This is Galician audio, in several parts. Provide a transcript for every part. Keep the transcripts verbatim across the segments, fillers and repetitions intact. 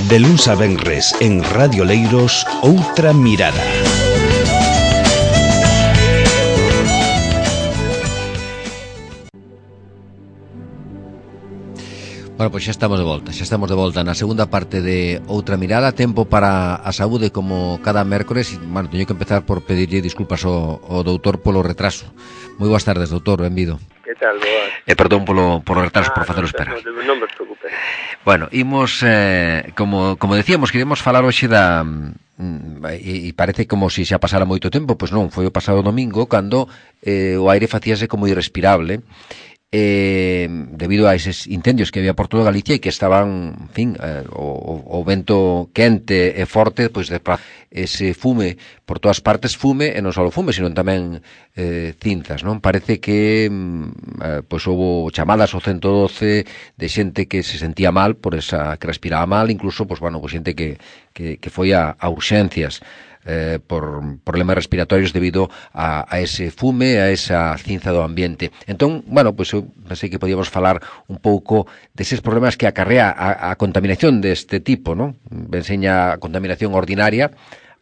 De luns a venres en Radio Leiros, Outra Mirada. Bueno, pois xa estamos de volta, xa estamos de volta na segunda parte de Outra Mirada, tempo para a saúde como cada mércores. Bueno, teño que empezar por pedirlle disculpas ao, ao doutor polo retraso. Moi boas tardes, doutor, benvido. Que tal, boas? E perdón polo, polo retraso, ah, por facelo no, esperar. No, non me preocupe. Bueno, imos, eh, como, como decíamos, queremos falar hoxe da... E, e parece como se xa pasara moito tempo, pois non, foi o pasado domingo, cando eh, o aire facíase como irrespirable, eh, debido a eses incendios que había por toda Galicia e que estaban, en fin, eh, o, o vento quente e forte, pois de ese fume por todas partes, fume, e non só fume, sino tamén eh, cinzas, non? Parece que eh, pois houve chamadas ao ciento doce de xente que se sentía mal por esa, que respiraba mal, incluso, pois, bueno, pois xente que, que, que foi a, a urxencias Eh, por problemas respiratorios debido a, a ese fume, a esa cinza do ambiente. Entón, bueno, pois eu pensei que podíamos falar un pouco deses problemas que acarrea a, a contaminación deste tipo, non? Enseña a contaminación ordinaria,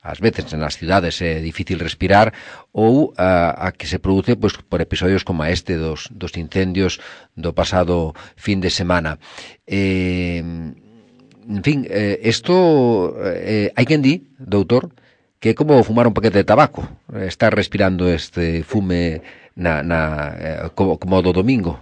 ás veces nas cidades é difícil respirar, ou a, a que se produce pois, por episodios como este dos, dos incendios do pasado fin de semana. Eh, en fin, eh, esto eh, hai quen di, doutor, que é como fumar un paquete de tabaco, estar respirando este fume na, na, eh, como, como do domingo.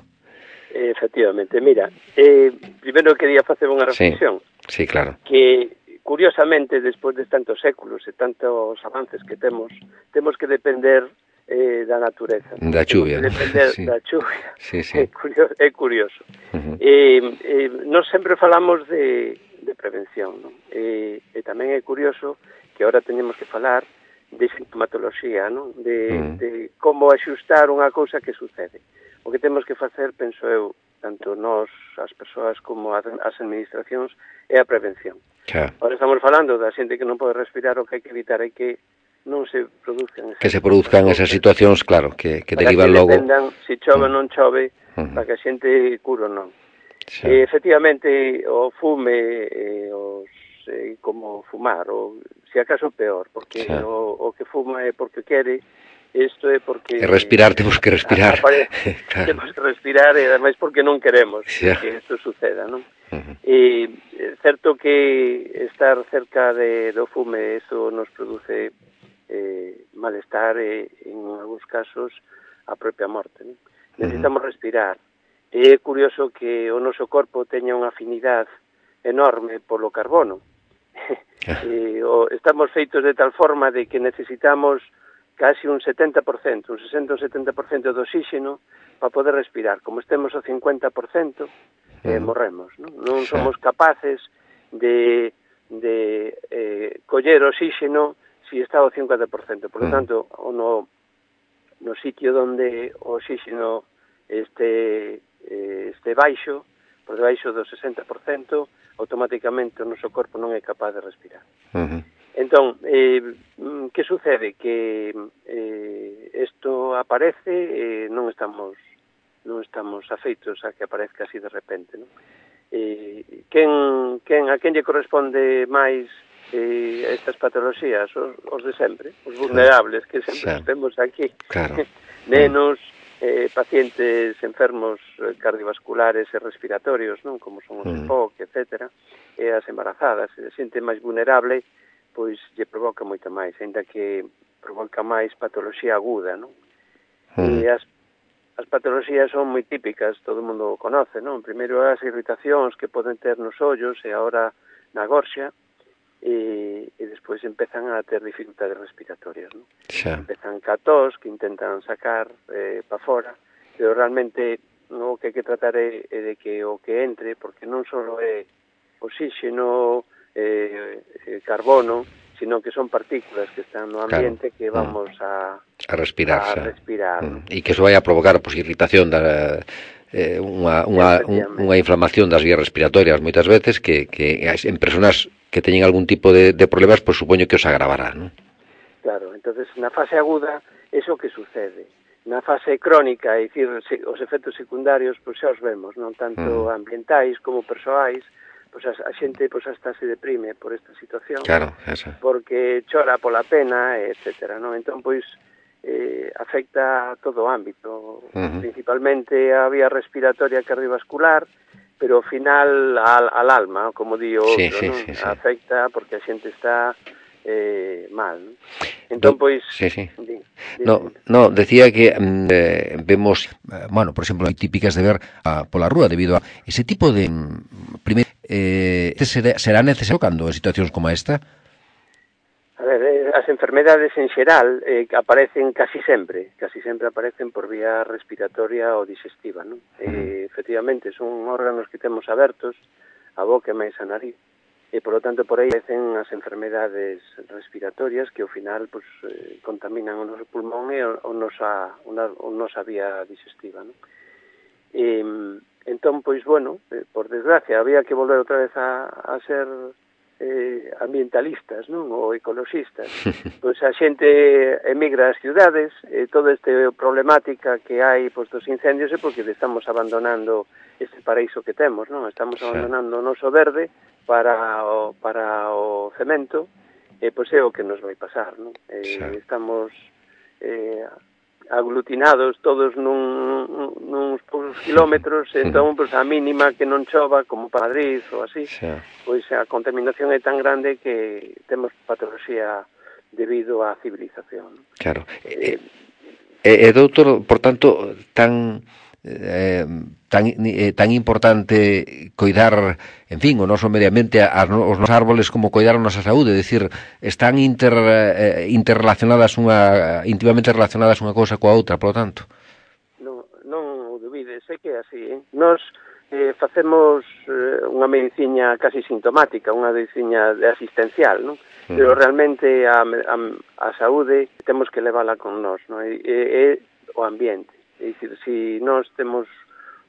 Efectivamente, mira, eh, primeiro quería facer unha reflexión. Sí, sí, claro. Que, curiosamente, despois de tantos séculos e tantos avances que temos, temos que depender eh, da natureza. Da chuvia. Temos que depender sí. da chuvia. Sí, sí. É curioso. É curioso. Uh-huh. eh, eh, nos sempre falamos de, de prevención, non? Eh, e tamén é curioso que agora teñemos que falar de sintomatoloxía, non? De, mm. de como axustar unha cousa que sucede. O que temos que facer, penso eu, tanto nós, as persoas, como as administracións, é a prevención. Claro. Agora estamos falando da xente que non pode respirar, o que hai que evitar é que non se produzcan... Que se produzcan esas situacións, claro, que, que derivan logo... Para que dependan se chove ou mm. non chove, mm. para que a xente cure ou non. E, efectivamente, o fume, eh, os, eh, como fumar, ou se acaso peor, porque sí. o, o que fuma é porque quere, isto é porque... E respirar, temos que respirar. Apare, claro. Temos que respirar, e ademais porque non queremos sí. que isto suceda, non? Uh-huh. E é certo que estar cerca de, do fume, eso nos produce eh, malestar e, en algúns casos, a propia morte, non? Necesitamos uh-huh. respirar. E é curioso que o noso corpo teña unha afinidade enorme polo carbono. e, o, estamos feitos de tal forma de que necesitamos casi un setenta por cento, un sesenta ou setenta por cento de oxígeno para poder respirar. Como estemos ao cincuenta por cento, eh, morremos, non? Non somos capaces de, de eh, coller oxígeno si está ao cincuenta por cento. Por lo tanto, no, no sitio onde o oxígeno este, eh, este baixo, por debaixo do sesenta por cento, automáticamente o noso corpo non é capaz de respirar. Uh-huh. Entón, eh, que sucede? Que isto eh, aparece e eh, non estamos non estamos afeitos a que aparezca así de repente, non? Eh, quen, quen, a quen lle corresponde máis eh, estas patoloxías? Os, os de sempre, os vulnerables, que sempre sí. temos aquí. Claro. Nenos, eh, pacientes enfermos cardiovasculares e respiratorios, non? Como son os mm. E P O C, etcétera, e as embarazadas, e a xente máis vulnerable, pois lle provoca moito máis, ainda que provoca máis patoloxía aguda, non? Mm. E as, as patoloxías son moi típicas, todo o mundo o conoce, non? Primeiro as irritacións que poden ter nos ollos e agora na gorxa, e, e despois empezan a ter dificultades respiratorias, non? Xa. Empezan ca tos, que intentan sacar eh, pa fora, pero realmente no, o que hai que tratar é, é de que o que entre, porque non só é oxígeno, eh, eh, carbono, sino que son partículas que están no ambiente, claro, que vamos mm. a, a respirar, a respirar. Mm. E que iso vai a provocar pois, irritación da... Eh, unha, unha, unha inflamación das vías respiratorias moitas veces que, que en personas que teñen algún tipo de, de problemas, pois supoño que os agravará, non? Claro, entonces na fase aguda eso que sucede. Na fase crónica, é dicir, os efectos secundarios, pois xa os vemos, non tanto mm. ambientais como persoais, pois a, a xente pois hasta se deprime por esta situación, claro, esa. Porque chora pola pena, etcétera, non? Entón, pois, eh, afecta a todo o ámbito, uh-huh. principalmente a vía respiratoria e cardiovascular, pero ao final al, al alma, como di o outro, sí, non? Sí, sí. Afecta porque a xente está eh, mal, non? Entón, pois... Sí, sí. Di, di, no, no, decía que eh, vemos, eh, bueno, por exemplo, hai típicas de ver a, pola rúa debido a ese tipo de... Primeiro, eh, será, será necesario cando en situacións como esta? A ver, eh, as enfermedades en xeral eh, aparecen casi sempre, casi sempre aparecen por vía respiratoria ou digestiva, non? Uh-huh. Eh, efectivamente, son órganos que temos abertos, a boca e máis a nariz, e, por lo tanto, por aí aparecen as enfermedades respiratorias que, ao final, pues, eh, contaminan o noso pulmón e o, o, nosa, una, o nosa vía digestiva, non? E, entón, pois, bueno, eh, por desgracia, había que volver outra vez a, a ser... Eh, ambientalistas, non? Ou ecologistas. Pois a xente emigra ás ciudades, e toda esta problemática que hai pois, dos incendios é porque estamos abandonando ese paraíso que temos, non? Estamos abandonando o noso verde para o, para o cemento, e pois é o que nos vai pasar, non? Eh, estamos eh, aglutinados todos nun, nuns poucos kilómetros, entón, pois, a mínima que non chova, como para Madrid ou así, xa. Pois a contaminación é tan grande que temos patoloxía debido á civilización. Claro. E, eh, eh, doutor, por tanto, tan... Eh, tan eh, tan importante coidar, en fin, o noso medio ambiente, as, os nosos árboles, como coidar a nosa saúde, é dicir, están inter, eh, interrelacionadas unha íntimamente relacionadas unha cousa coa outra, por lo tanto. Non, non o dubides, é que é así, eh? Nos eh, facemos eh, unha mediciña casi sintomática, unha mediciña asistencial, non? Uh-huh. Pero realmente a, a, a saúde temos que levala con nós, non? E, e, e o ambiente. É dicir, se nós temos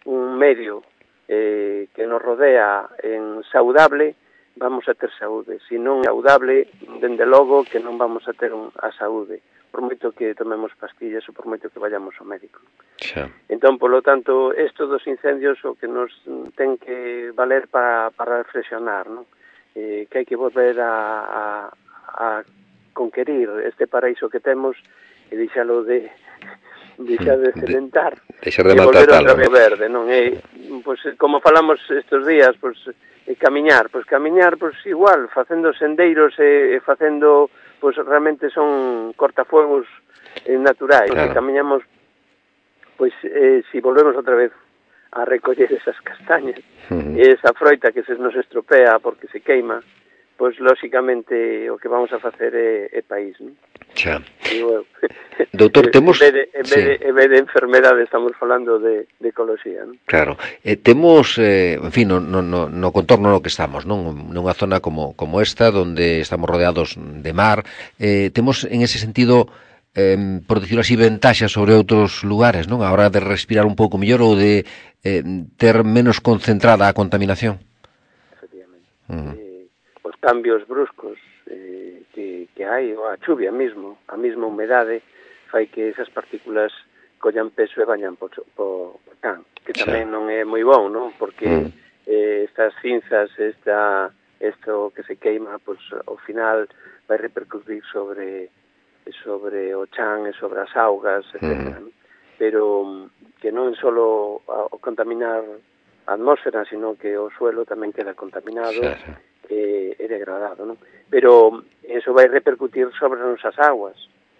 un medio eh, que nos rodea en saudable, vamos a ter saúde. Se non é saudable, dende logo que non vamos a ter un, a saúde, por moito que tomemos pastillas ou por moito que vayamos ao médico. Xa. Entón, polo tanto, isto dos incendios o que nos ten que valer para, para reflexionar, non? Eh, que hai que volver a, a, a conquerir este paraíso que temos e deixalo de... deixar de cementar de, de e volver outra vez verde, non? E, pois, como falamos estes días, pois, e camiñar, pois camiñar, pois igual, facendo sendeiros e, e facendo, pois realmente son cortafuegos eh, naturais, claro. E camiñamos, pois, eh, si volvemos outra vez a recoller esas castañas, uh-huh. E esa froita que se nos estropea porque se queima, pois, lóxicamente, o que vamos a facer é, é país, non? Xa. Digo, doutor, temos... En vez de, en vez de, en vez de enfermedade, estamos falando de, de ecoloxía, non? Claro. Eh, temos, eh, en fin, no, no, no contorno no que estamos, non? Nunha zona como, como esta, donde estamos rodeados de mar, eh, temos, en ese sentido, eh, por decirlo así, ventaxas sobre outros lugares, non? A hora de respirar un pouco mellor ou de eh, ter menos concentrada a contaminación. Efectivamente. Uh-huh. Eh, os cambios bruscos eh, que, que hai, ou a chuvia mesmo, a mesma humedade, fai que esas partículas collan peso e bañan po, po, po can, que tamén non é moi bon, non? Porque mm. eh, estas cinzas, esta, esto que se queima, pues, ao final vai repercutir sobre sobre o chan e sobre as augas, etcétera. Mm. Pero que non é só o contaminar a atmósfera, sino que o suelo tamén queda contaminado, sí, sí. E, e degradado, non? Pero eso vai repercutir sobre as nosas aguas,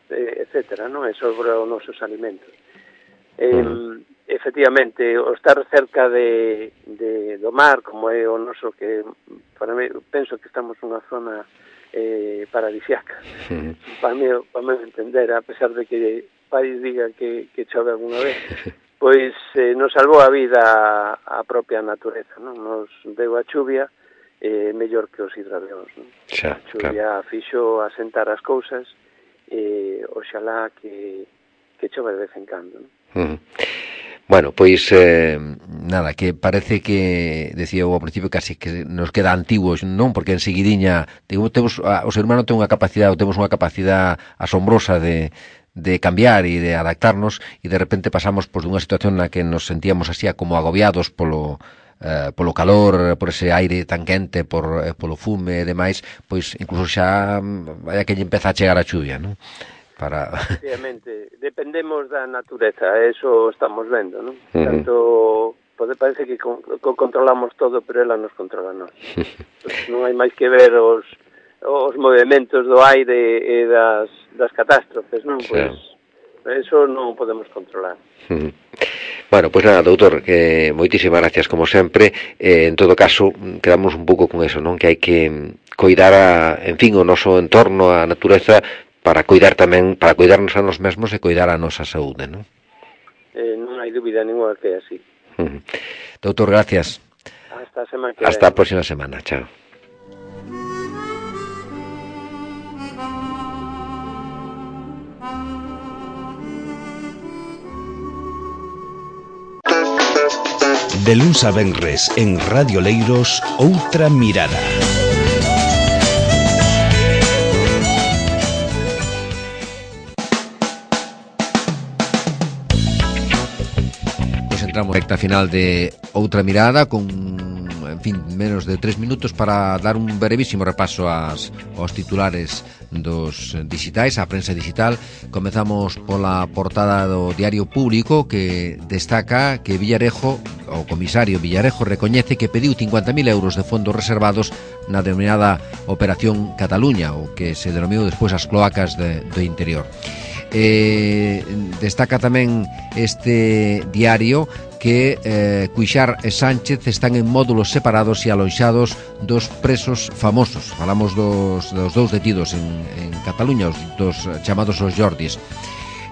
etcétera, non? E sobre os nosos alimentos. Eh, mm. Efectivamente, o estar cerca de, de do mar, como é o noso, que para mí, penso que estamos nunha zona eh, paradisiaca, mm. para mí, para mí entender, a pesar de que país diga que, que chove alguna vez, pois eh, nos salvou a vida a propia natureza, non? Nos deu a chuvia eh, mellor que os hidradeos, non? Xa, a chuvia claro. Fixo asentar as cousas e oxalá que, que chove de vez en cando, non? Uh-huh. Bueno, pois eh, nada, que parece que decía ao principio casi que nos queda antiguos, non? Porque enseguidiña digo, temos, o ser humano ten unha capacidade, temos unha capacidade asombrosa de de cambiar e de adaptarnos, e de repente pasamos pois dunha situación na que nos sentíamos así como agobiados polo eh, polo calor, por ese aire tan quente, por eh, polo fume e demais, pois incluso xa vai que lle empeza a chegar a chuvia, non? Para... Efectivamente, dependemos da natureza, eso estamos vendo, non? Uh-huh. Tanto pode parece que con, con controlamos todo, pero ela nos controla nós. Pues non hai máis que ver os os movimentos do aire e das, das catástrofes, non? Sí. Pois eso non podemos controlar. Uh-huh. Bueno, pois pues nada, doutor, que moitísimas gracias como sempre. Eh, en todo caso, quedamos un pouco con eso, non? Que hai que coidar a, en fin, o noso entorno, a natureza, para coidar tamén, para coidarnos a nos mesmos e coidar a nosa saúde, non? Eh, non hai dúbida ninguna que é así. Uh-huh. Doutor, gracias. Hasta a semana que Hasta a próxima semana, chao. De luns a venres en Radio Leiros, Outra Mirada. Pues entramos en recta final de Outra Mirada con, en fin, menos de tres minutos para dar un brevísimo repaso ás, aos titulares dos digitais, a prensa digital. Comezamos pola portada do Diario Público, que destaca que Villarejo, o comisario Villarejo, recoñece que pediu cincuenta mil euros de fondos reservados na denominada Operación Cataluña, o que se denominou despois as cloacas de, do interior. Eh, destaca tamén este diario que eh, Cuixart e Sánchez están en módulos separados e aloixados dos presos famosos. Falamos dos, dos dous detidos en, en Cataluña, os dos chamados os Jordis.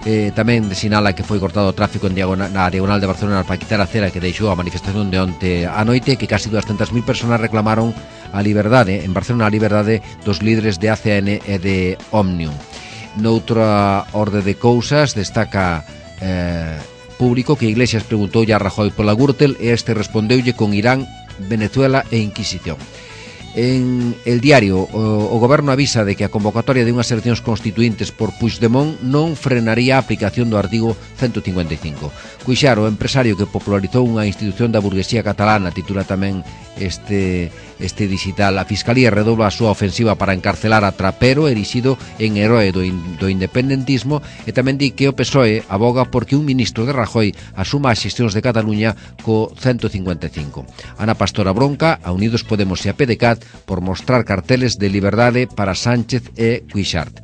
Eh, tamén sinala que foi cortado o tráfico en diagonal, na diagonal de Barcelona para quitar a cera que deixou a manifestación de onte a noite, que casi doscientas mil personas reclamaron a liberdade, en Barcelona, a liberdade dos líderes de A C N e de Òmnium. Noutra orde de cousas destaca eh, Público que Iglesias preguntoulle a Rajoy pola Gürtel e este respondeulle con Irán, Venezuela e Inquisición. En El Diario, o, o goberno avisa de que a convocatoria de unhas eleccións constituíntes por Puigdemont non frenaría a aplicación do artigo ciento cincuenta e cinco. Cuixart, o empresario que popularizou unha institución da burguesía catalana, titula tamén este, este digital. A Fiscalía redobla a súa ofensiva para encarcelar a Trapero, erixido en heroe do, in, do independentismo, e tamén di que o P S O E aboga porque un ministro de Rajoy asuma as xestións de Cataluña co ciento cincuenta e cinco. Ana Pastora bronca a Unidos Podemos e a P D C A T por mostrar carteles de liberdade para Sánchez e Cuixart.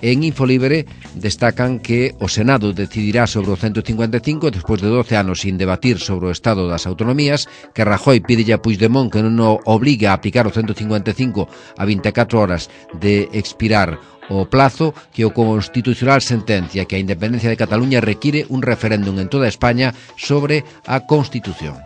En Infolibre destacan que o Senado decidirá sobre o ciento cincuenta e cinco despois de doce anos sin debatir sobre o estado das autonomías, que Rajoy pide a Puigdemont que non o obligue a aplicar o ciento cincuenta e cinco a vinte e catro horas de expirar o plazo, que o Constitucional sentencia que a independencia de Cataluña require un referéndum en toda España sobre a Constitución.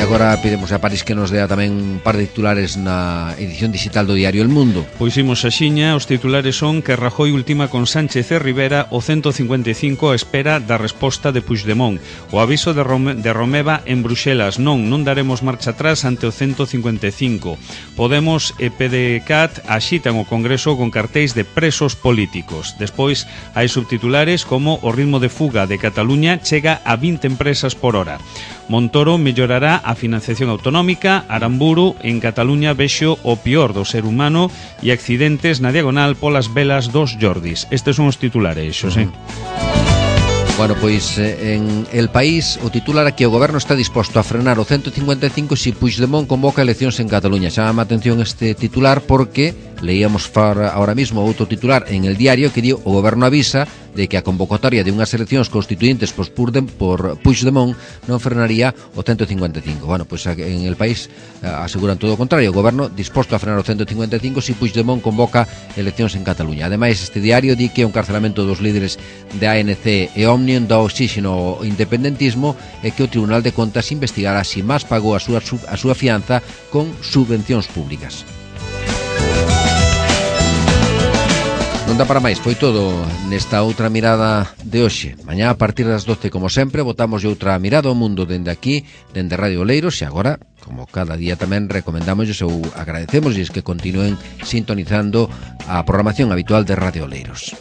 Agora pedimos a París que nos dea tamén un par de titulares na edición digital do diario El Mundo. Pois imos a xiña, os titulares son que Rajoy ultima con Sánchez e Rivera o ciento cincuenta e cinco a espera da resposta de Puigdemont. O aviso de, Rome, de Romeva en Bruxelas, non, non daremos marcha atrás ante o ciento cincuenta e cinco. Podemos e P D C A T axitan o Congreso con cartéis de presos políticos. Despois hai subtitulares como o ritmo de fuga de Cataluña chega a vinte empresas por hora. Montoro mellorará a financiación autonómica. Aramburu, en Cataluña vexo o pior do ser humano e accidentes na diagonal polas velas dos Jordis. Estes son os titulares, Xosé. Bueno, pois en El País o titular que o goberno está disposto a frenar o ciento cincuenta e cinco se Puigdemont convoca eleccións en Cataluña. Chama a atención este titular porque leíamos ahora mismo outro titular en El Diario que dio o goberno avisa de que a convocatoria de unhas eleccións constituíntes por, por Puigdemont non frenaría o ciento cincuenta e cinco. Bueno, pois en El País aseguran todo o contrario, o goberno disposto a frenar o ciento cincuenta e cinco se Puigdemont convoca eleccións en Cataluña. Ademais, este diario di que o encarcelamento dos líderes de A N C e Òmnium dá oxígeno ao independentismo e que o Tribunal de Contas investigará se Mas pagou a súa, a súa fianza con subvencións públicas. Non dá para máis, foi todo nesta outra mirada de hoxe. Mañá a partir das doce, como sempre, botamos outra mirada ao mundo dende aquí, dende Radio Oleiros, e agora, como cada día tamén, recomendamos ou agradecemos que continúen sintonizando a programación habitual de Radio Oleiros.